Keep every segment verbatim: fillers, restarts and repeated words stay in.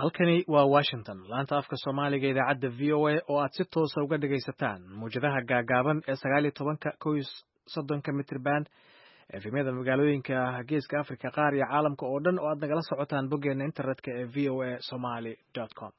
Halkani waa Washington, laanta afka Soomaaliga, idaacadda V O A oo aad si toosa uga dhagaysataan mawjadaha gaagaaban ee sagaal iyo tobanka kow iyo soddonka mitrban, efemyada magaalooyinka Geeska Africa qaar iyo caalamka oo dhan oo aad nagala socotaan boggeena internetka ee V O A somali com.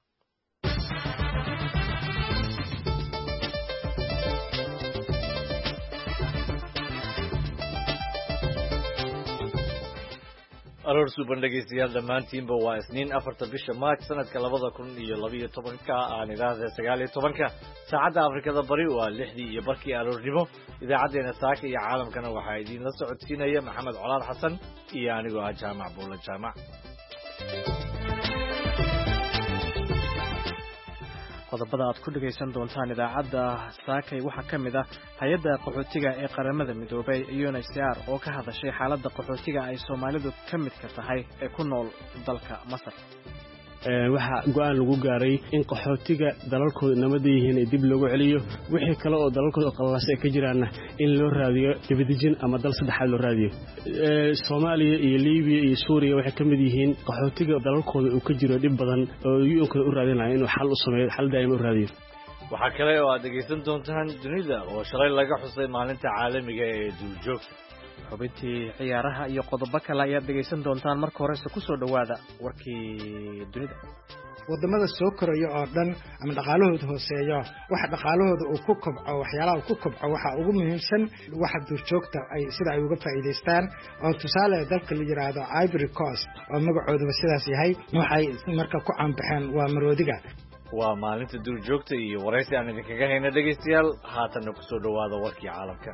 Aroor suuban dhegaystayaal dhammaantiinba, waa Isniin, afarta bisha Maaj, sanadka labada kun iyo labiyo tobanka, aan idhaahda sagaal iyo tobanka. Saacadda Afrikada Bari waa lixdii iyo barkii aroornimo. Idaacaddeenna saaka iyo caalamkana waxaa idiinla socodsiinaya Maxamed Colaad Xasan iyo anigoo ah Jaamac Buulla Jaamac. Qodobada aad ku dhegaysan doontaan idaacadda saakay waxaa ka mid ah hay-adda qaxootiga ee Qaramada Midoobay U N H C R oo ka hadashay xaaladda qaxootiga ay Soomaalidu ka midka tahay ee ku nool dalka Masar. Waxaa go'aan lagu gaaray in qaxootiga dalalkooda nabada yihiin ee dib loogu celiyo, wixii kale oo dalalkooda qallaas ay ka jiraanna in loo raadiyo dibadejin ama dal saddexaad loo raadiyo. Soomaaliya iyo Libiya iyo Suuriya waxay ka mid yihiin qaxootiga dalalkooda uu ka jiro dhib badan oo U N-kooda u raadinaya inuu xal u sameeyo, xal daa'ima u raadiyo. Waxaa kale oo aad dhegaysan doontaan dunida oo shalay laga xusay maalinta caalamiga ee duurjoogta. Xubintii ciyaaraha iyo qodobo kale ayaad dhegaysan doontaan. Marka horese kusoo dhowaada warkii dunida. Wadamada soo koraya oo dhan ama dhaqaalahooda hooseeyo, waxa dhaqaalahooda uu ku kobco, waxyaalaha uu ku kobco waxa ugu muhiimsan waxa duurjoogta ay sida ay uga faa'iidaystaan. Oo tusaale, dalka la yidhaahdo Ivory Coast oo magacooduba sidaas yahay, waxay marka ku caanbaxeen waa maroodiga. Waa maalinta duurjoogta iyo waraysi aan idinkaga hayna dhegaystayaal. Haatanna kusoo dhowaada warkii caalamka.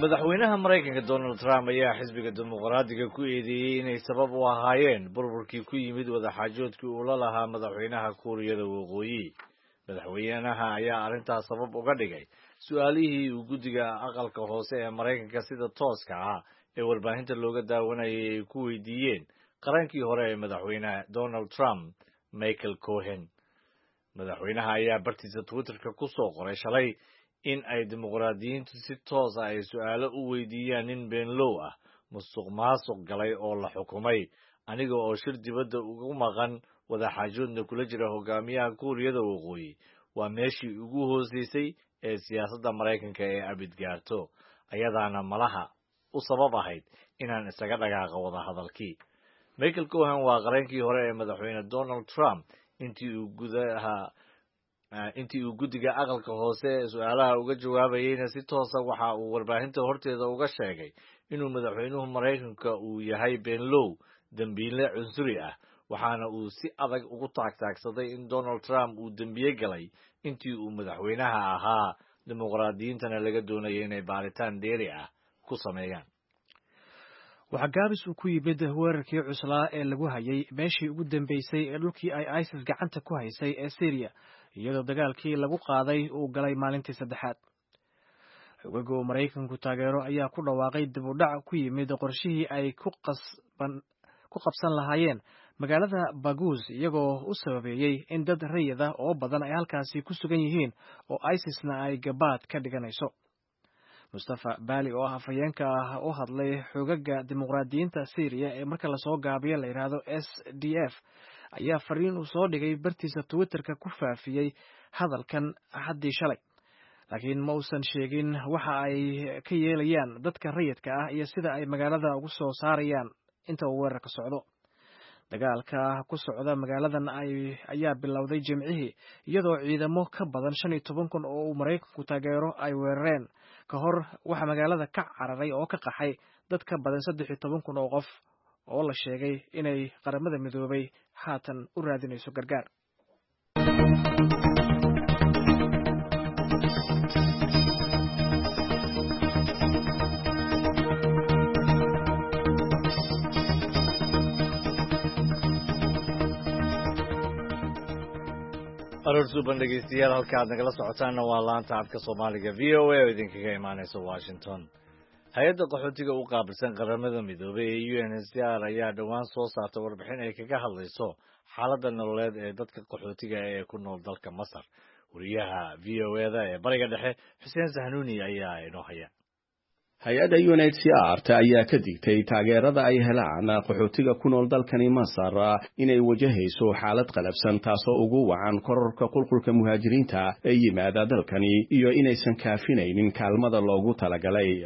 Madaxweynaha Maraykanka Donald Trump ayaa xisbiga Dimuqraadiga ku eedeeyey inay sabab u ahaayeen burburkii ku yimid wadaxaajoodkii uu la lahaa madaxweynaha Kuuriyada Waqooyi. Madaxweynaha ayaa arrintaas sabab uga dhigay su-aalihii uu guddiga aqalka hoose ee Maraykanka sida tooska ah ee warbaahinta looga daawanayay ay ku weydiiyeen qarankii hore ee madaxweyne Donald Trump, Michael Cohen. Madaxweynaha ayaa bartiisa Twitterka ku soo qoray shalay in ay dimuqraadiyiintu si toosa ay su-aalo u weydiiyaan nin beenlow ah, musuq maasuq galay oo la xukumay, aniga oo shir dibadda ugu maqan, wadaxaajoodna kula jira hogaamiyaha Kuuriyada Waqooyi, waa meeshii ugu hooseysay ee siyaasadda Maraykanka ee abid gaarto, ayadaana malaha u sabab ahayd inaan isaga dhaqaaqo wadahadalkii. Michael Cohen waa qareenkii hore ee madaxweyne Donald Trump. Intii uu gudaha intii uu guddiga aqalka hoose ee su-aalaha uga jawaabayeyna si toosa waxa uu warbaahinta horteeda uga sheegay inuu madaxweynuhu Maraykanka uu yahay beenlow, dembiile cunsuri ah, waxaana uu si adag ugu taagtaagsaday in Donald Trump uu dembiye galay intii uu madaxweynaha ahaa, dimuqraadiyiintana laga doonayay inay baaritaan dheeri ah ku sameeyaan. Waxaa gaabis uu ku yimid weerarkii cuslaa ee lagu hayay meeshii ugu dambeysay ee dhulkii ay ISIS gacanta ku haysay ee Syriya, iyadoo dagaalkii lagu qaaday uu galay maalintii saddexaad. Xogaga uu Maraykanku taageero ayaa ku dhawaaqay dib u dhac ku yimid qorshihii ay ku qabsan lahaayeen magaalada Baguus, iyagoo u sababeeyey in dad rayid ah oo badan ay halkaasi ku sugan yihiin oo ISISna ay gabaad ka dhiganayso. Mustafa Baali oo ah afhayeenka ah u hadlay xogaga dimuqraadiyiinta Syriya ee marka lasoo gaabiyo la yidhaahdo S D F ayaa fariin uu soo dhigay bartiisa Twitterka ku faafiyey hadalkan Axaddii shalay, laakiin ma uusan sheegin waxa ay ka yeelayaan dadka rayidka ah iyo sida ay magaalada ugu soo saarayaan inta uu weerarka socdo. Dagaalka ku socda magaaladan ayaa bilowday Jimcihii, iyadoo ciidamo ka badan shan iyo toban kun oo uu Maraykanku taageero ay weerareen. Ka hor waxaa magaalada ka cararay oo ka qaxay dad ka badan saddex iyo toban kun oo qof oo la sheegay inay Qaramada Midoobay haatan u raadinayso gargaar. Aroor suuban dhegeystayaal, halka aad nagala socotaanna waa laanta afka Soomaaliga V O A oo idinkaga imaaneysa Washington. Hay-adda qaxootiga u qaabilsan Qaramada Midoobay ee U N H C R ayaa dhowaan soo saartay warbixin ay kaga hadlayso xaaladda nololeed ee dadka qaxootiga ee ku nool dalka Masar. Wariyaha V O A da ee Bariga Dhexe, Xuseen Sahnuuni, ayaa inoo haya. Hay-adda U N H C R ta ayaa ka digtay taageerada ay helaan qaxootiga ku nool dalkani Masar inay wajahayso xaalad qalabsan, taasoo ugu wacan kororka qulqulka muhaajiriinta ee yimaada dalkani iyo inaysan kaafinaynin kaalmada loogu talagalay.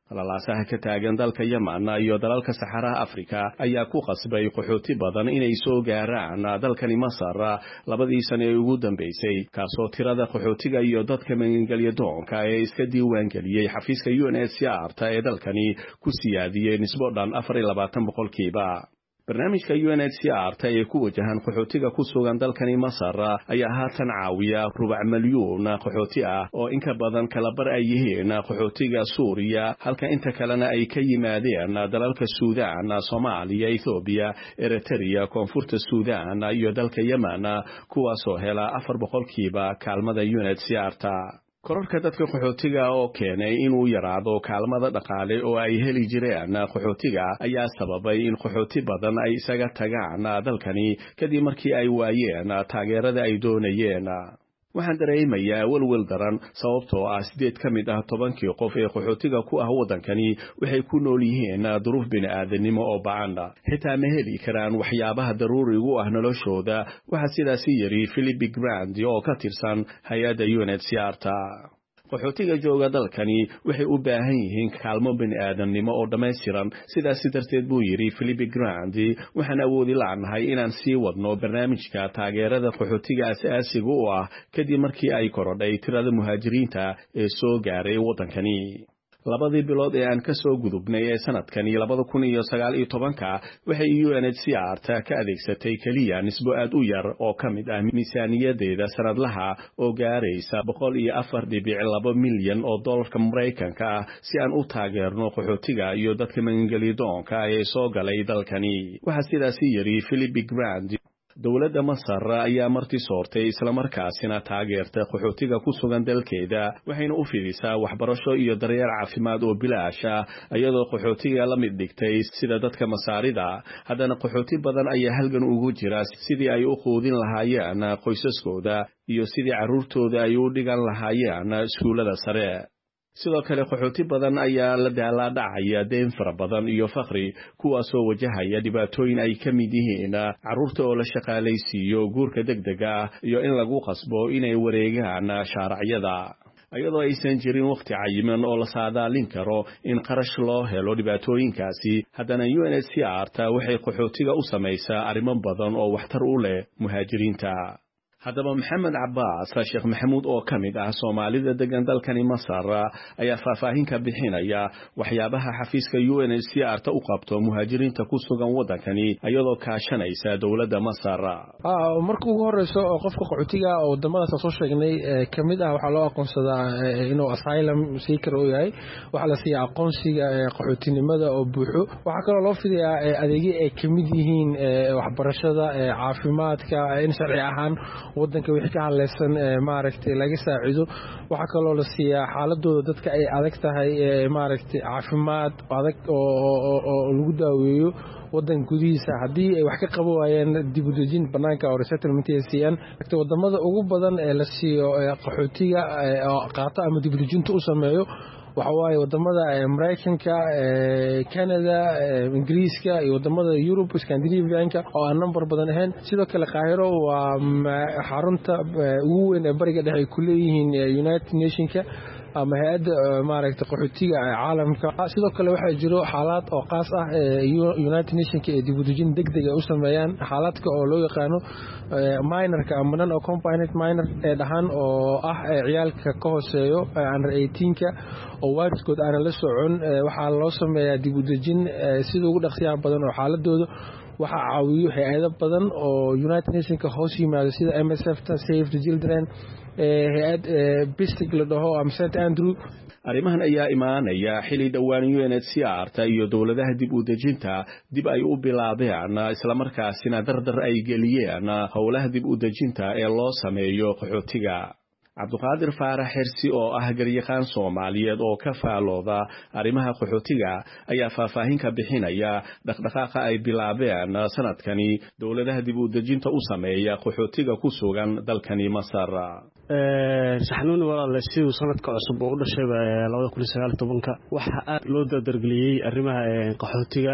Qalalaasaha ka taagan dalka Yeman iyo dalalka saxaraha Afrika ayaa ku qasbay qaxooti badan inay soo gaaraan dalkani Masar labadii sano ee ugu dambeysay, kaasoo tirada qaxootiga iyo dadka magangelya doonka ee iska diiwaangeliyey xafiiska U N H C R ta ee dalkani ku siyaadiyey nisbo dhan afar iyo labaatan boqolkiiba. Barnaamijka U N H C R ta ee ku wajahan qaxootiga ku sugan dalkani Masar ayaa haatan caawiya rubac milyuun qaxooti ah, oo inka badan kala bar ay yihiin qaxootiga Suuriya, halka inta kalena ay ka yimaadeen dalalka Suudaan, Soomaaliya, Ethoobiya, Eritrea, Koonfurta Suudaan iyo dalka Yemen, kuwaasoo hela afar boqolkiiba kaalmada U N H C R ta. Kororka dadka qaxootiga oo keenay inuu yaraado kaalmada dhaqaale oo ay heli jireen qaxootiga ayaa sababay in qaxooti badan ay isaga tagaan dalkani kadib markii ay waayeen taageerada ay doonayeen. "Waxaan dareemayaa welwel daran, sababtoo ah sideed ka mid ah tobankii qof ee qaxootiga ku ah waddankani waxay ku nool yihiin duruuf bini'aadanimo oo bacan, xitaa ma heli karaan waxyaabaha daruurigu ah noloshooda," waxaa sidaasi yidhi Philippe Grandi oo ka tirsan hay-adda U N H C R ta. "Qaxootiga jooga dalkani waxay u baahan yihiin kaalmo bini'aadamnimo oo dhammaystiran. Sidaasi darteed," buu yidhi Philippe Grandi, "waxaan awoodi la'nahay inaan sii wadno barnaamijka taageerada qaxootiga asaasiga u ah kadib markii ay korodhay tirada muhaajiriinta ee soo gaaray waddankani. Labadii bilood ee aan ka soo gudubnay ee sanadkani labada kun iyo sagaal iyo tobanka waxay U N H C R ta ka adeegsatay keliya nisbo aad u yar oo ka mid ah miisaaniyadeeda sanadlaha oo gaaraysa boqol iyo afar dhibic laba milyan oo dollarka Maraykanka ah si aan u taageerno qaxootiga iyo dadka magangelidoonka ee soo galay dalkani," waxaa sidaasi yidhi Philippe Grandi. Dowladda Masar ayaa marti soortay islamarkaasina taageerta qaxootiga ku sugan dalkeeda, waxayna u fidisaa waxbarasho iyo daryeel caafimaad oo bilaash ah, iyadoo qaxootiga la mid dhigtay sida dadka Masaarida. Haddana qaxooti badan ayaa halgan ugu jira sidii ay u quudin lahaayeen qoysaskooda iyo sidii carruurtooda ay u dhigan lahaayeen iskuullada sare. Sidoo kale qaxooti badan ayaa la daalaadhacaya deen fara badan iyo fakri, kuwaasoo wajahaya dhibaatooyin ay ka mid yihiin carruurta oo la shaqaalaysiiyo, guurka degdega ah iyo in lagu qasbo inay wareegaan shaaracyada. Iyadoo aysan jirin wakhti cayiman oo la saadaalin karo in qarash loo helo dhibaatooyinkaasi, haddana U N H C R ta waxay qaxootiga u samaysaa arrimo badan oo waxtar u leh muhaajiriinta. Haddaba Maxamed Cabaas Sheekh Maxamuud oo ka mid ah Soomaalida degan dalkani Masar ayaa faahfaahin ka bixinaya waxyaabaha xafiiska U N H C R ta u qabto muhaajiriinta ku sugan waddankani iyadoo kaashanaysa dowladda Masar. Marka ugu horeyso oo qofka qaxootiga oo wadamadaas aan soo sheegnay ka mid ah, waxaa loo aqoonsadaa inuu asylum seeker uu yahay. Waxaa la siiyaa aqoonsiga qaxootinimada oo buuxo. Waxaa kaloo loo fidayaa adeegyo ay ka mid yihiin waxbarashada, caafimaadka, in sharci ahaan wadanka wixii ka hadlaysan maaragtay laga saacido. Waxaa kaloo la siiyaa xaaladooda dadka ay adag tahay, maaragtay, caafimaad adag oo lagu daaweeyo wadanka gudihiisa. Haddii ay wax ka qaban waayeen, dib u dejin banaanka oo resettlement ay siiyaan. Wadamada ugu badan ee la siiyo qaxootiga qaato ama dib u dejinta u sameeyo waxa waaye wadamada Maraykanka, Canada, Ingiriiska iyo wadamada Yurub, Scandinavianka oo aan number badan ahayn. Sidoo kale Qaahiro waa xarunta ugu weyn ee Bariga Dhexe ay ku leeyihiin United Nationka ama hay-adda, maaragtay, qaxootiga caalamka. Sidoo kale waxaa jiro xaalaad oo qaas ah United Nationka ee dib u dejin deg deg ay u sameeyaan, xaaladka oo loo yaqaano minorka ama non accompanied minor ee dhahaan, oo ah ciyaalka ka hooseeyo under eighteenka oo waalidkood aanan la socon. Waxaa loo sameeyaa dib u dejin sida ugu dhaqsiyaha badan oo xaaladooda waxaa caawiyo hay-ado badan oo United Nationka hoos yimaado, sida M S F ta, Save the Children, hay-ad Bistig la dhaho ama Saint Andrew. Arrimahan ayaa imaanaya xili dhowaan U N H C R ta iyo dowladaha dib u dejinta dib ay u bilaabeen islamarkaasina dardar ay geliyeen howlaha dib u dejinta ee loo sameeyo qaxootiga. Cabduqaadir Faarax Xirsi oo ah garyaqaan Soomaaliyeed oo ka faalooda arrimaha qaxootiga ayaa faahfaahin ka bixinaya dhaqdhaqaaqa ay bilaabeen sanadkani dowladaha dib u dejinta u sameeya qaxootiga ku sugan dalkani Masar. Saxnuuni walaal, siduu sanadka cusub oo u dhashayba labada kun iyo sagaal iyo tobanka waxaa aad loo dardargeliyey arrimaha qaxootiga.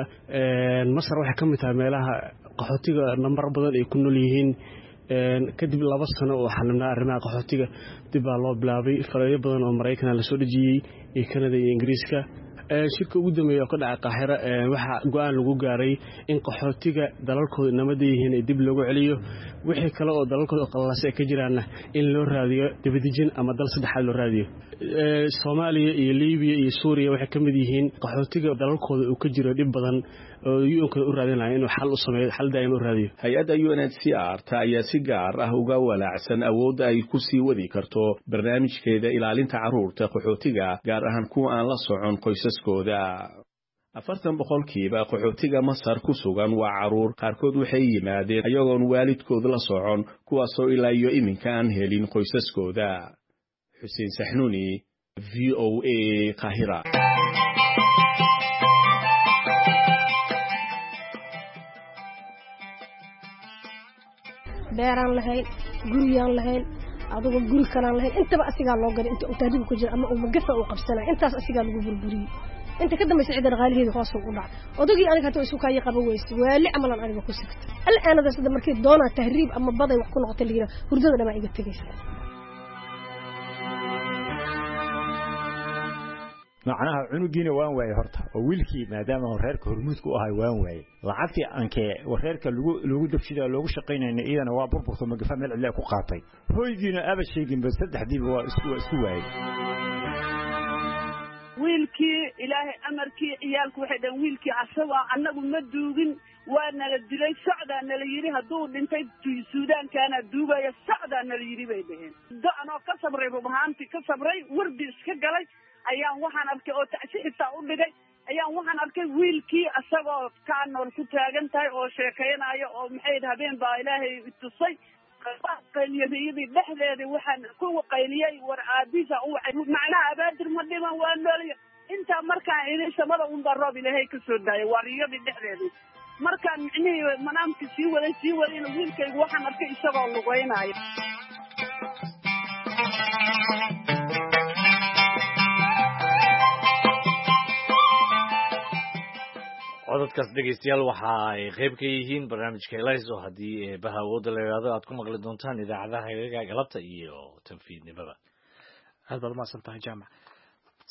Masar waxay ka mid tahay meelaha qaxootiga nambar badan ay ku nool yihiin. Kadib laba sano oo xalimnaa arrimaha qaxootiga dib baa loo bilaabay, farayo badan oo Maraykana lasoo dhejiyey iyo Kanada iyo Ingiriiska. Shirka ugu dambeeya oo ka dhacay Qaahira waxaa go-aan lagu gaaray in qaxootiga dalalkooda nabada yihiin dib loogu celiyo, wixii kale oo dalalkooda qalalaase ay ka jiraanna in loo raadiyo dibadejin ama dal saddexaad loo raadiyo. Soomaaliya iyo Liibiya iyo Suuriya waxay ka mid yihiin qaxootiga dalalkooda uu ka jiro dhib badan oo U N-ka u raadinaya inuu xal u sameeyo, xal daa'ima u raadiyo. Hay-adda U N H C R ta ayaa si gaar ah uga walaacsan awoodda ay ku sii wadi karto barnaamijkeeda ilaalinta carruurta qaxootiga, gaar ahaan kuwa aan la socon qoysaskooda. Afartan boqolkiiba qaxootiga Masar ku sugan waa carruur. Qaarkood waxay yimaadeen ayagoon waalidkood la socon, kuwaasoo ilaa iyo iminka aan helin qoysaskooda. Xuseen Saxnuuni, V O A, Qaahira. Beeraan lahayn, guriyaan lahayn, adugo guri kalaan lahayn. Intaba asigaa loo gaday inta uu tahriib ku jira ama uu magafa uu qabsanay. Intaas asigaa lagu burburiyey. Inta ka dambaysa cidda dhaqaalaheeda hoos u dhacay. Odagii aniga hata isu kaaya qaba weyse, waali camalan aniga ku sigta al'aanada sida markii doonaa tahriib ama baday wax ku noqota la yidhaha, hurdada dhamaa iga tegaysa. Macnaha cunugiina waan waayey horta, oo wiilkii maadaama reerka hormuudka u ahay waan waayey. Lacagtii ankee reerka lagu lagu dabshida loogu shaqaynayna iyadana waa burburto, magafa meel cidla ku qaatay. Hoygiina aba sheeginba, saddexdiiba waa isku waa isku waayey. Wiilkii Ilaahay amarkii, ciyaalku waxay dhaheen wiilkii asagoo annagu ma duugin, waa nala dilay, socdaa nala yidhi. Hadduu dhintay Suudaankaana duugaya, socdaa nala yidhi bay dhaheen. Do-anoo ka sabray, rub ahaantii ka sabray, wardi iska galay ayaan waxaan arkay oo tacsi xitaa u dhigay, ayaan waxaan arkay wiilkii asagoo kaa nool ku taagan tahay oo sheekaynaayo oo maxay habeen baa Ilaahay tusay. Qayliyadii dhexdeedii waxaan ku qayliyey, war aabiisa u wacay, macnaha Abaadir ma dhiman, waa noolaya. Intaa markaan idin samada unbaa roob Ilaahay ka soo daayay. Waa riyadii dhexdeedii. Markaan micnihii manaamkii sii waday sii wadayna, wiilkaygu waxaan arkay isagoo lugeynaayo. Codadkaas, dhegeystayaal, waxa ay qayb ka yihiin barnaamijka Elayso, haddii eebaha awoodda la yidhaahdo aad ku maqli doontaan idaacadaha hagaga galabta iyo tanfiidnimada. Aad baad umahadsan tahay, Jaamac.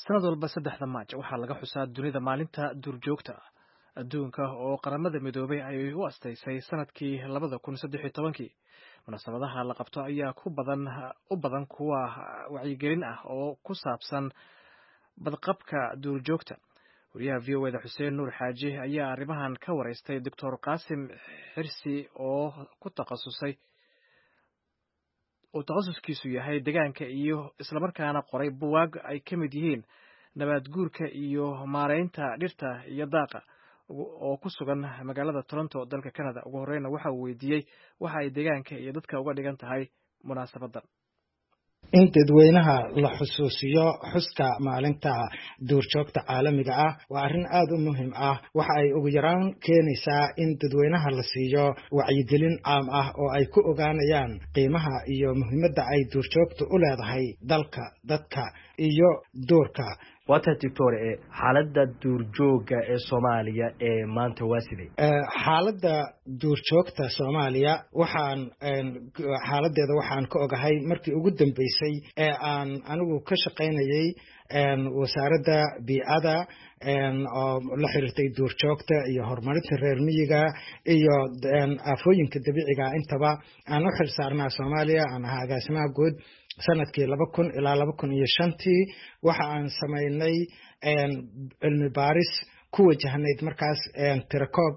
Sanad walba saddexda Maaj waxaa laga xusaa dunida maalinta duurjoogta ah adduunka, oo Qaramada Midoobay ay u astaysay sanadkii labada kun saddex iyo tobankii. Munaasabadaha la qabto ayaa ku badan u badan kuwa wacyigelin ah oo ku saabsan badqabka duurjoogta. Wariyaha V O A da Xuseen Nuur Xaaji ayaa arrimahan ka wareystay Doctor Qaasim Xirsi oo ku takhasusay uu takhasuskiisu yahay deegaanka iyo islamarkaana qoray buwaag ay ka mid yihiin nabaad guurka iyo maareynta dhirta iyo daaqa, oo ku sugan magaalada Toronto, dalka Canada. Ugu horeyna waxa uu weydiiyey waxa ay deegaanka iyo dadka uga dhigan tahay munaasabadan. In dadweynaha la xusuusiyo xuska maalinta duurjoogta caalamiga ah waa arrin aada u muhiim ah. Waxa ay ugu yaraan keenaysaa in dadweynaha la siiyo wacyigelin caam ah oo ay ku ogaanayaan qiimaha iyo muhiimadda ay duurjoogtu u leedahay dalka, dadka iyo duurka. Waa tahay, doctor, e xaaladda duurjoogga ee Soomaaliya ee maanta waa sidee? Xaaladda duurjoogta Soomaaliya waxaan xaaladeeda waxaan ka ogahay markii ugu dambeysay ee aan anigu ka shaqaynayay Wasaaradda Biicada oo la xiriirtay duurjoogta iyo horumarinta reer miyiga iyo aafooyinka dabiiciga intaba aan u xil saarnaa Soomaaliya, aan ahaa agaasimaha guud sanadkii laba kun ilaa laba kun iyo shantii, waxa aan samaynay cilmi baaris ku wajahnayd markaas tirakoob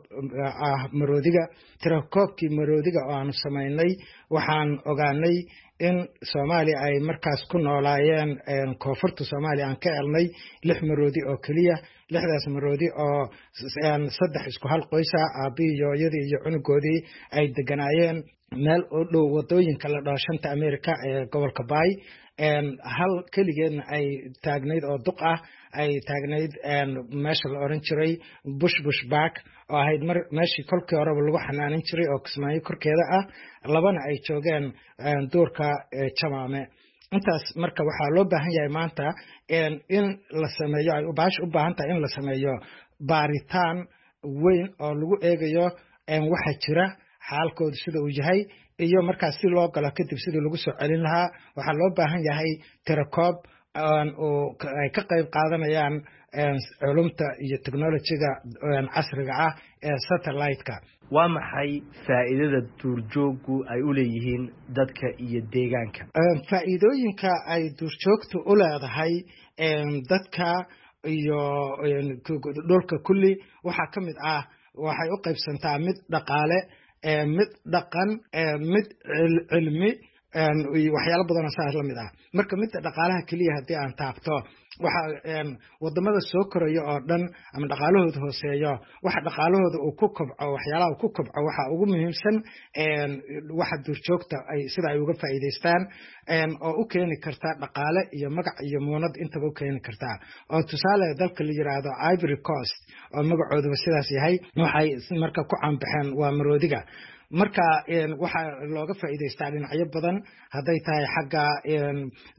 ah maroodiga. Tirakoobkii maroodiga oo aanu samaynay waxaan ogaanay in Soomaaliya ay markaas ku noolaayeen, koonfurta Soomaaliya aan ka helnay lix maroodi oo keliya. Lixdaas maroodi oo saddex isku hal qoysa, aabbihii, hooyadii iyo cunugoodii, ay deganaayeen meel u dhow wadooyinka la dhaho Shanta America ee gobolka Bay. Hal keligeedna ay taagnayd oo duq ah, ay taagnayd meesha la oran jiray Bush Bush Park, oo ahayd meeshii kolkii horeba lagu xanaanin jiray oo Kismaayo korkeeda ah. Labana ay joogeen duurka Jamaame. Intaas marka waxaa loo baahan yahay maanta in la sameeyo, ay baash u baahan tahay in la sameeyo baaritaan weyn oo lagu eegayo waxa jira, xaalkoodu sida uu yahay, iyo markaas si loo galo kadib sidii lagu soo celin lahaa. Waxaa loo baahan yahay tirakoob oo ay ka qayb qaadanayaan culumta iyo technologyga casriga ah ee satellite-ka. Waa maxay faa'iidada duurjooggu ay u leeyihiin dadka iyo deegaanka? Faa'iidooyinka ay duurjoogtu u leedahay dadka iyo dhulka kulli waxaa ka mid ah, waxay u qaybsantaa mid dhaqaale, mid dhaqan, mid cilmi, waxyaalo badanoo saas la mid ah. Marka midda dhaqaalaha keliya haddii aan taabto, waxa wadamada soo koraya oo dhan ama dhaqaalahooda hooseeyo, waxa dhaqaalahooda uu ku kobco, waxyaalaha uu ku kobco waxa ugu muhiimsan waxa duurjoogta ay sida ay uga faa'iidaystaan, oo u keeni karta dhaqaale iyo magac iyo muunad intaba u keeni kartaa. Oo tusaale, dalka la yiraahdo Ivory Coast, oo magacooduba sidaas yahay, waxay marka ku caanbaxeen waa maroodiga. Marka waxaa looga faa'iidaystaa dhinacyo badan, hadday tahay xagga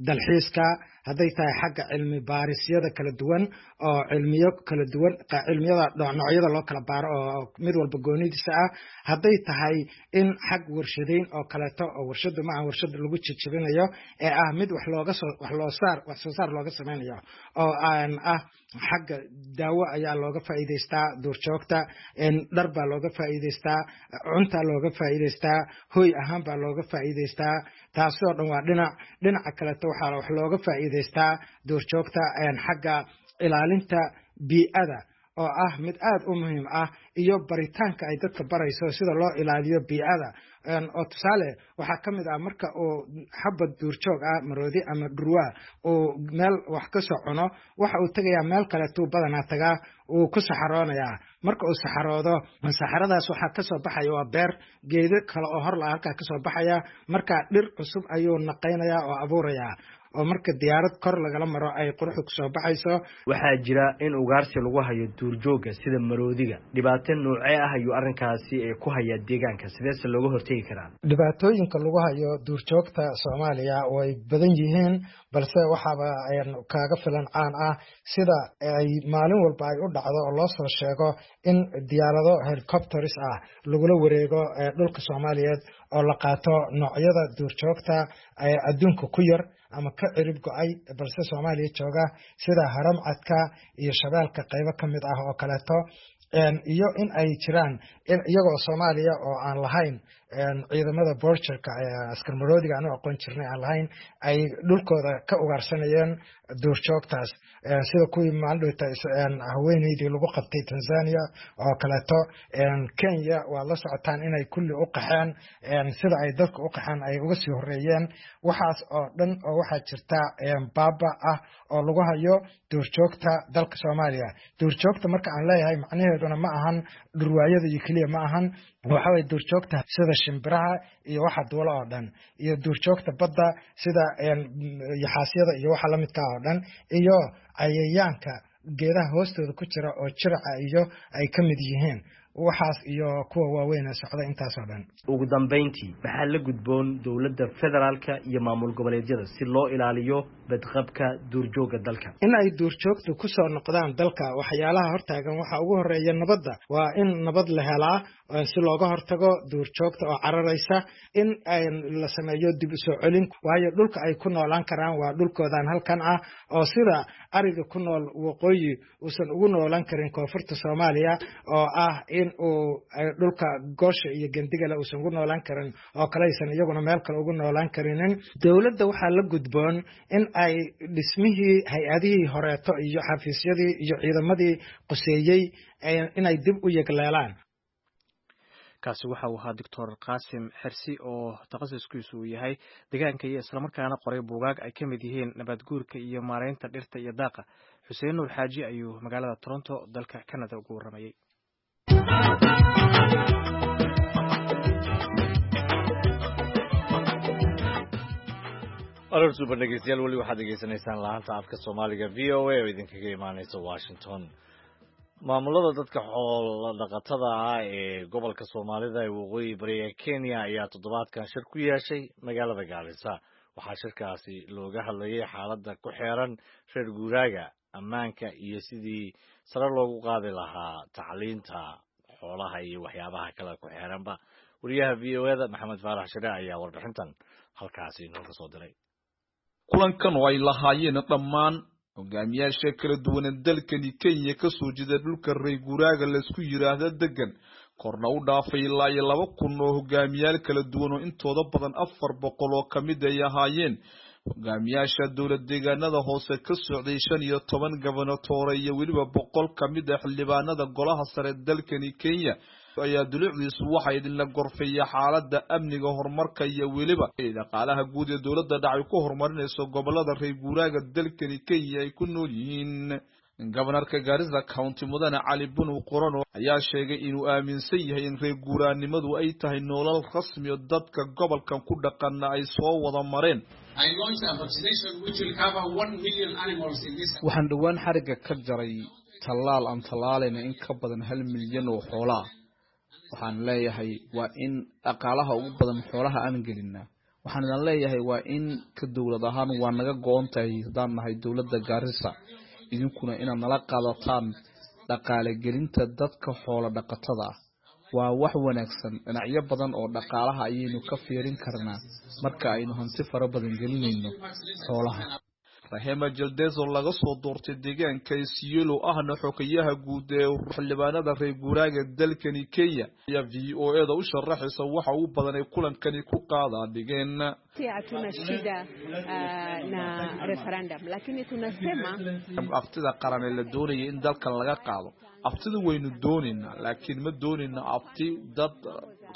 dalxiiska, hadday tahay xagga cilmi baarisyada kala duwan, oo cilmiyo kala duwan, cilmiyada noocyada loo kala baaro oo mid walba goonidiisa ah, hadday tahay in xag warshadayn oo kaleeto, oo warshadu ma aha warshad lagu jijibinayo ee ah mid wax looga soo wax loo saar wax soo saar looga sameynayo, oo aan ah xagga daawo ayaa looga faa'iidaystaa duurjoogta, dhar baa looga faa'iidaystaa, cuntaa looga faa'iidaystaa, hoy ahaan baa looga faa'iidaystaa. Taasoo dhan waa dhinac. Dhinaca kaleeto waxaa wax looga faa'iidaystaa duurjoogta xagga ilaalinta bii'ada, oo ah mid aad u muhiim ah, iyo baritaanka ay dadka barayso sida loo ilaaliyo bii'ada. Oo tusaale, waxaa ka mid ah marka uu xabad duurjoog ah, maroodi ama dhurwaa, uu meel wax ka soo cuno, waxa uu tegayaa meel kaleetuu badanaa tagaa, wuu ku saxaroonayaa. Marka uu saxaroodo, saxaradaas waxaa kasoo baxaya waa beer, geedo kale oo horla halkaa kasoo baxaya. Marka dhir cusub ayuu naqaynayaa oo abuurayaa, oo marka diyaarad kor lagala maro ay quruxdu kusoo baxayso. Waxaa jira in ugaarsi lagu hayo duurjoogga sida maroodiga. Dhibaato noocee ah ayuu arrinkaasi ku hayaa deegaanka? Sideese looga hortegi karaa? Dhibaatooyinka lagu hayo duurjoogta Soomaaliya way badan yihiin, balse waxaaba kaaga filan caan ah sida ay maalin walba ay u dhacdo oo loo soo sheego in diyaarado helicopters ah lagula wareego dhulka Soomaaliyeed oo la qaato noocyada duurjoogta adduunka ku yar ama ka cirib go-ay balse Soomaaliya jooga, sida haramcadka iyo shabeelka qaybo ka mid ah oo kaleeto, iyo in ay jiraan iyagoo Soomaaliya oo aan lahayn ciidamada borcherka, askar maroodiga aan u aqoon jirnay aan lahayn, ay dhulkooda ka ugaarsanayeen duurjoogtaas, sida kuwii maalindhowta haweeneydii lagu qabtay Tanzania oo kaleeto. Kenya waad la socotaan inay kulli u qaxeen, sida ay dadka u qaxeen ay uga sii horeeyeen. Waxaas oo dhan oo waxaa jirta baaba ah oo lagu hayo duurjoogta dalka Soomaaliya. Duurjoogta marka aan leeyahay, macnaheeduna ma ahan dhurwaayada iyo keliya ma ahan. Waxa waye duurjoogta sida shimbiraha iyo waxa duula oo dhan, iyo duurjoogta badda sida yaxaasyada iyo waxa lamidka oo dhan, iyo cayayaanka geedaha hoostooda ku jira oo jiraca iyo ay ka mid yihiin waxaas, iyo kuwa waaweyn ee socda, intaasoo dhan. Ugu dambayntii, maxaa la gudboon dowladda federaalka iyo maamul goboleedyada si loo ilaaliyo badqabka duurjoogga dalka? In ay duurjoogtu kusoo noqdaan dalka, waxyaalaha hortaagan waxaa ugu horeeya nabadda. Waa in nabad la helaa si looga hortago duurjoogta oo cararaysa, in la sameeyo dib u soo celin, waayo dhulka ay ku noolaan karaan waa dhulkoodan halkan ah, oo sida ariga ku nool waqooyi uusan ugu noolaan karin koonfurta Soomaaliya, oo ah in uu dhulka goosha iyo gendigale uusan ugu noolaan karin oo kale aysan iyaguna meel kale ugu noolaan karinin. Dowladda waxaa la gudboon in ay dhismihii hay-adihii horeeto iyo xafiisyadii iyo ciidamadii quseeyey inay dib u yegleelaan. Kaasi waxa uu ahaa Doctor Qaasim Xersi, oo takhasuskiisu uu yahay deegaanka iyo islamarkaana qoray buugaag ay ka mid yihiin nabaad guurka iyo maareynta dhirta iyo daaqa. Xuseen Nuur Xaaji ayuu magaalada Toronto, dalka Canada, ugu warramayey. Aroor suuban dhegeystayaal, weli waxaad degeysanaysaan laanta afka Soomaaliga V O A oo idinkaga imaaneysa Washington. Maamulada dadka xoolo dhaqatada ah ee gobolka Soomaalida ee waqooyi bari ee Kenya ayaa toddobaadkan shir ku yeeshay magaalada Gaarisa. Waxaa shirkaasi looga hadlayay xaaladda ku xeeran reer guuraaga, ammaanka iyo sidii sare loogu qaadi lahaa tacliinta xoolaha iyo waxyaabaha kale ku xeeranba. Wariyaha V O A da Maxamed Faarax Shire ayaa warbixintan halkaasi inooga soo diray. Kulankan oo ay lahaayeen dhammaan hogaamiyaasha kala duwan ee dalkani Kenya ka soo jeeda dhulka reer guuraaga laysku yiraahdo degan korna u dhaafay ilaa iyo laba kun oo hogaamiyaal kala duwan oo intooda badan afar boqol oo ka mid ay ahaayeen hogaamiyaasha dowlad deegaanada hoose ka socday shan iyo toban gobernatoore iyo weliba boqol ka mid ah xildhibaanada golaha sare dalkani Kenya ayaa dulucdiisu waxaa idinla gorfeeya xaaladda amniga, horumarka iyo weliba dhaqaalaha guud ee dowladda dhacay ku horumarinayso gobolada reer guuraaga dalkani Kenya ay ku nool yihiin. Gobanarka Garissa County Mudane Cali Bunu Qorano ayaa sheegay inuu aaminsan yahay in reer guuraanimadu ay tahay nolol rasmi oo dadka gobolkan ku dhaqanna ay soo wada mareen. Waxaan dhowaan xarigga ka jaray tallaal aan tallaalayna in ka badan hal milyan oo xoolo ah. Waxaan leeyahay waa in dhaqaalaha ugu badan xoolaha aan gelinaa. Waxaan idin leeyahay waa in ka dowlad ahaan waa naga go'on tahay haddaan nahay dowladda Garissa, idinkuna inaad nala qaadataan dhaqaale gelinta dadka xoolo dhaqatada ah. Waa wax wanaagsan, dhinacyo badan oo dhaqaalaha ayaynu ka fiirin karnaa marka aynu hanti fara badan gelinayno xoolaha. Rahema Jaldezo laga soo doortay deegaanka Isiolo ahna xogayaha guud ee xildhibaanada reer guuraaga dalkani Kenya ayaa V O A da u sharaxaysa waxa uu badan ay kulankani ku qaadaa dhigeen. Hatuna shida uh, na referendum, lakini tunasema aftida qaran ee la doonayay in dalkan laga qaado aftida waynu doonaynaa, laakiin ma doonayna afti dad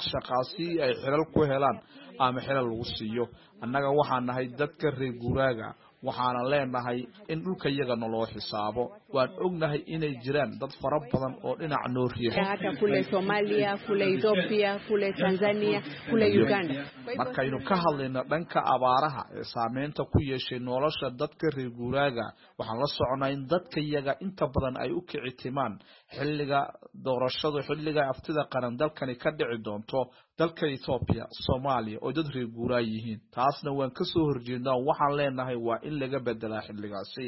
shaqaasi ay xilal ku helaan ama xilal lagu siiyo. Annaga waxaan nahay dadka reer guuraaga, waxaana leenahay in dhulka iyaga naloo xisaabo. Waan ognahay inay jiraan dad fara badan oo dhinac noo riixo hata kule Somalia, kule Ethiopia, kule Tanzania, kule Uganda. Markaynu ka hadlayno dhanka abaaraha ee saameynta ku yeeshay nolosha dadka reer guuraaga, waxaan la soconaa in dadka iyaga inta badan ay u kici timaan xilliga doorashadu, xilliga aftida qaran dalkani ka dhici doonto dalka Ethiopia, Soomaaliya oo dad reer guuraa yihiin. Taasna waan ka soo horjeednaa, waxaan leenahay waa in laga bedelaa xilligaasi.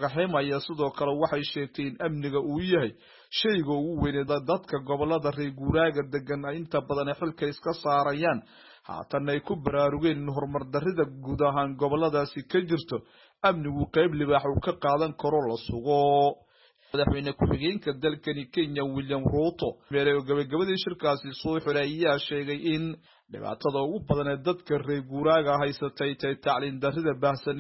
Rahema ayaa sidoo kale waxay sheegtay in amniga uu yahay shayga ugu weyn ee dadka gobolada reer guuraaga degan ay inta badan xilka iska saarayaan, haatan ay ku baraarugeen in horumar darrida guud ahaan goboladaasi ka jirto amnigu qayb libaax uu ka qaadan karo la sugo. Madaxweyne ku-xigeenka dalkani Kenya William Ruto meelay gabagabadii shirkaasi soo xiray ayaa sheegay in dhibaatada ugu badan ee dadka reer guuraaga haysatay tahay tacliin darrida baahsan.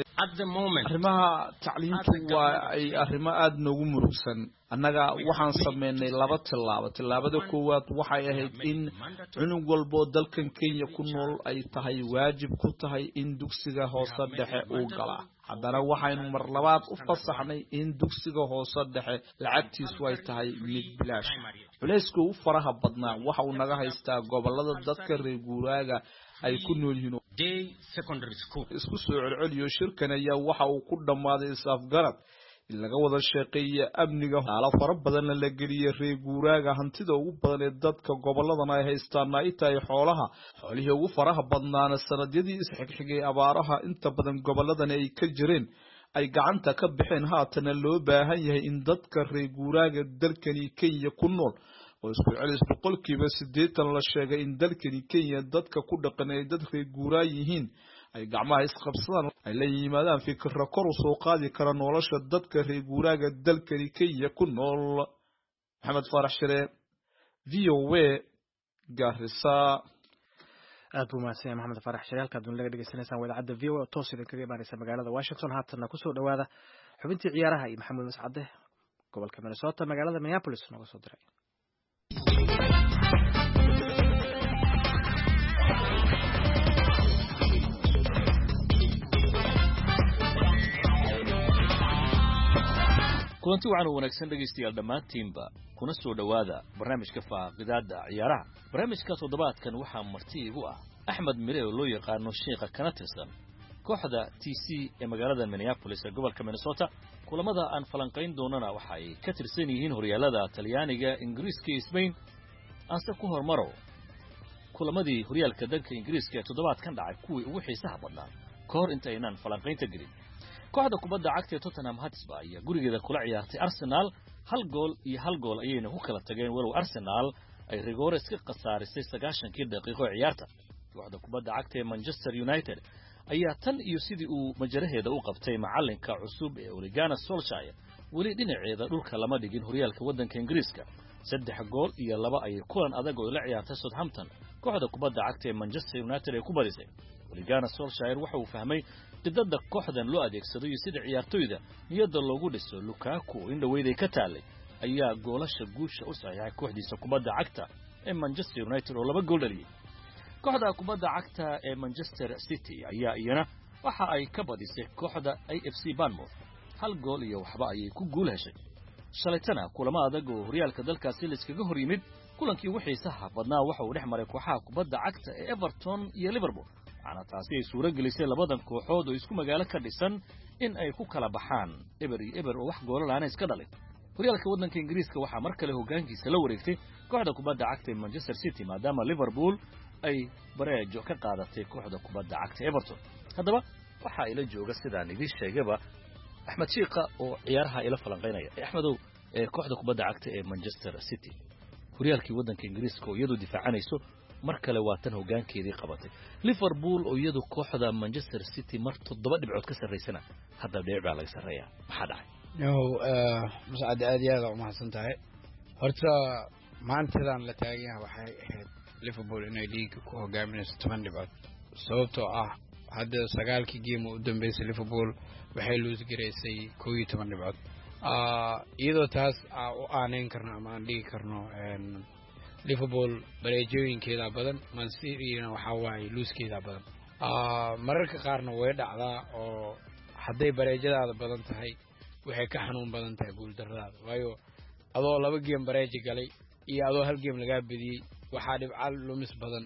Arrimaha tacliintu waa ay arrimo aada noogu murugsan. Annaga waxaan sameynay laba tillaabo. Tillaabada koowaad waxay ahayd in cunug walbo dalkan Kenya ku nool ay tahay waajib ku tahay in dugsiga hoose dhexe uu galaa. Haddana waxaynu mar labaad u fasaxnay in dugsiga hoose dhexe lacagtiisu ay tahay mid bilaash. Culayska ugu faraha badnaa waxa uu naga haystaa gobolada dadka reer guuraaga ay ku nool yihiin. Isku soo celceliyo shirkan ayaa waxa uu ku dhammaaday is-afgarad in laga wada shaqeeya amniga, haala fara badanna la geliyay reer guuraaga. Hantida ugu badan ee dadka goboladan ay haystaan ay tahay xoolaha. Xoolihii ugu faraha badnaana sanadyadii isxigxigay abaaraha inta badan goboladan ay ka jireen ay gacanta ka baxeen. Haatana loo baahan yahay in dadka reer guuraaga dalkani Kenya ku nool oo isku celis boqolkiiba siddeetan la sheegay in dalkani Kenya dadka ku dhaqan ay dad reer guuraa yihiin ay gacmaha isqabsadaan, ay la yimaadaan fikirro kor u soo qaadi kara nolosha dadka reer guuraaga dalkani Kenya ku nool. Maxamed Faarax Shire, V O A, Garissa. Aad buu mahadsan yahay Maxamed Faarax Shire. Halkaad dunida laga dhegeysanaysaan waa idaacadda V O A oo toos idinkaga imaanaysa magaalada Washington. Haatanna kusoo dhowaada xubintii ciyaaraha iyo Maxamuud Mascade, gobolka Minnesota, magaalada Minneapolis nooga soo diray. Kulanti wacan oo wanaagsan dhegaystayaal dhammaantiinba, kuna soo dhowaada barnaamijka faaqidaadda ciyaaraha. Barnaamijka toddobaadkan waxaa marti igu ah Axmed Mire oo loo yaqaano Sheekha, kana tirsan kooxda T C ee magaalada Minneapolis ee gobolka Minnesota. Kulamada aan falanqayn doonana waxa ay ka tirsan yihiin horyaalada Talyaaniga, Ingiriiska iyo Spain. Aanse ku hormaro kulamadii horyaalka dalka Ingiriiska ee toddobaadkan dhacay kuwii ugu xiisaha badnaa ka hor inta aynaan falanqaynta gelin. Kooxda kubadda cagta ee Tottenham Hotspur ayaa gurigeeda kula ciyaartay Arsenal, hal gool iyo hal gool ayayna ku kala tageen, walow Arsenal ay rigoore iska khasaarisay sagaashankii daqiiqo ee ciyaarta. Kooxda kubadda cagta ee Manchester United ayaa tan iyo sidii uu majaraheeda u qabtay macalinka cusub ee Ole Gunnar Solskjaer weli dhinaceeda dhulka lama dhigin horyaalka waddanka Ingiriiska. Saddex gool iyo laba ayay kulan adag oo la ciyaartay Southampton kooxda kubadda cagta ee Manchester United ay ku badisay. Ole Gunnar Solskjaer waxa uu fahmay qidada kooxdan loo adeegsado iyo sida ciyaartoyda niyadda loogu dhiso. Lukaku in dhaweyday ka taalay ayaa goolasha guusha u saxiixay kooxdiisa kubadda cagta ee Manchester United oo laba gool dhaliyay. Kooxda kubadda cagta ee Manchester City ayaa iyana waxa ay ka badisay kooxda A F C Bournemouth, hal gool iyo waxba ayay ku guul heshay. Shalaytana kulamo adag oo horyaalka dalkaasi la iskaga hor yimid, kulankii ugu xiisaha badnaa waxa uu dhex maray kooxaha kubadda cagta ee Everton iyo Liverpool, waxaana taasi ay suuro gelisay labadan kooxood oo isku magaalo ka dhisan in ay ku kala baxaan eber iyo eber oo wax goolal aana iska dhalin. Horyaalka waddanka Ingiriiska waxaa mar kale hoggaankiisa la wareegtay kooxda kubadda cagta ee Manchester City, maadaama Liverpool ay bareejo ka qaadatay kooxda kubadda cagta Everton. Haddaba waxaa ila jooga sidaan idiin sheegaba Axmed Shiiqa oo ciyaaraha ila falanqaynaya. Axmedow, kooxda kubadda cagta ee Manchester City horyaalkii waddanka Ingiriiska oo iyadu difaacanayso mar kale waa tan hoggaankeedii qabatay. Liverpool oo iyadu kooxda Manchester City mar toddoba dhibcood ka sarraysana hadda dhibic baa laga sarreeyaa. Maxaa dhacay? No, Mascad, aad iyo aad aa umahadsan tahay. Horta maantadan la taagan yahay waxay ahayd Liverpool inay liiga ku hogaaminayso toban dhibcood, sababtoo ah hadda sagaalkii game u dambeysay Liverpool waxay luus garaysay kow iyo toban dhibcood, iyadoo taas aa u aaneyn karno ama aan dhigi karno Liverpool bareejooyinkeedaa badan, Man City-na waxaa waaye luuskeedaa badan. Mararka qaarna way dhacdaa oo hadday bareejadaada badan tahay waxay ka xanuun badan tahay guuldarradaada, waayo adoo laba geem bareeji galay iyo adoo hal geem lagaa bediyey waxaa dhibca lumis badan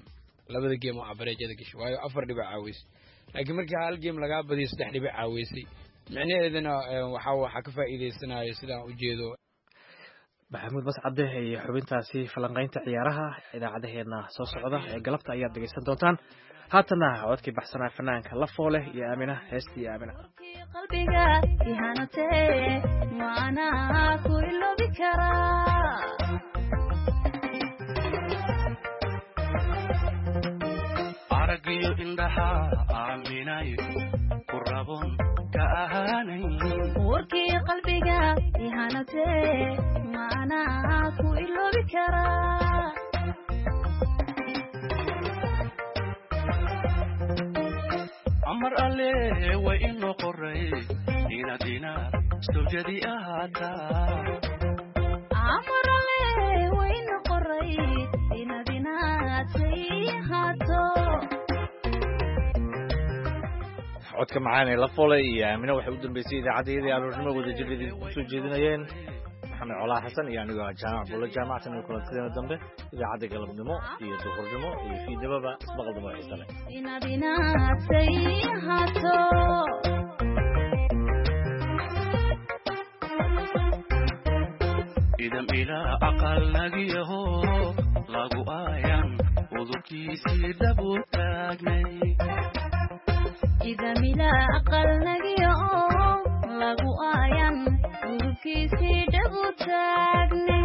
labada geem oo bareejada gashay, waayo afar dhibic caaweysay. Laakiin markii hal geem lagaa badiyo saddex dhibic caaweysay, micnaheedana waxaa waxaa ka faa'iidaysanayo sidaan u jeedo Maxamuud Mascade iyo xubintaasi falanqaynta ciyaaraha idaacadaheena soo socda ee galabta ayaad dhegeysan doontaan. Haatana codkii baxsanaa fanaanka Lafoole iyo Aamina, heestii Aamina. Qalbiga ihanatee maanaa ku iloobi karaa, aragiyo indhaha aaminayo ku rabon ka ahaanayn, warkii qalbiga ihanatee maanaa ku iloobi karaa. Amar alle way inoo qoray inaad inaad sawjadi ahaataa, Amar alle wayna qoray inaad inaad say ahaato. Codka macaan ee Lafoole iyo Aamina waxay u dambeysay idaacaddayadii aroornimo wadajir idinku soo jeedinayeen Maxamed Colaa Xasan iyo anigoo ah Jaamac Buulo Jaamactan iyo kulantideena dambe idaacadda galabnimo iyo duhurnimo iyo fiidnimoba ismaqal dambe oo xiise leh. Inaad inaad say ahaato. Idam ilaa aqal nagiyaho lagu aayan udubkiisii dhabu taagnay, Ida mila aqal nagiyo lagu aayan urubkiisii dhabu taagne,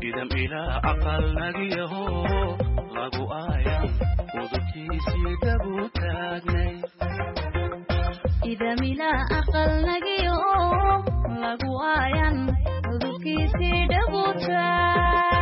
idam ilaa aqal nagiyaho lagu aayan udubkiisii dhabu taagnay, Ida mila aqal nagiyo lagu aayan urubkiisii dhabu taagne.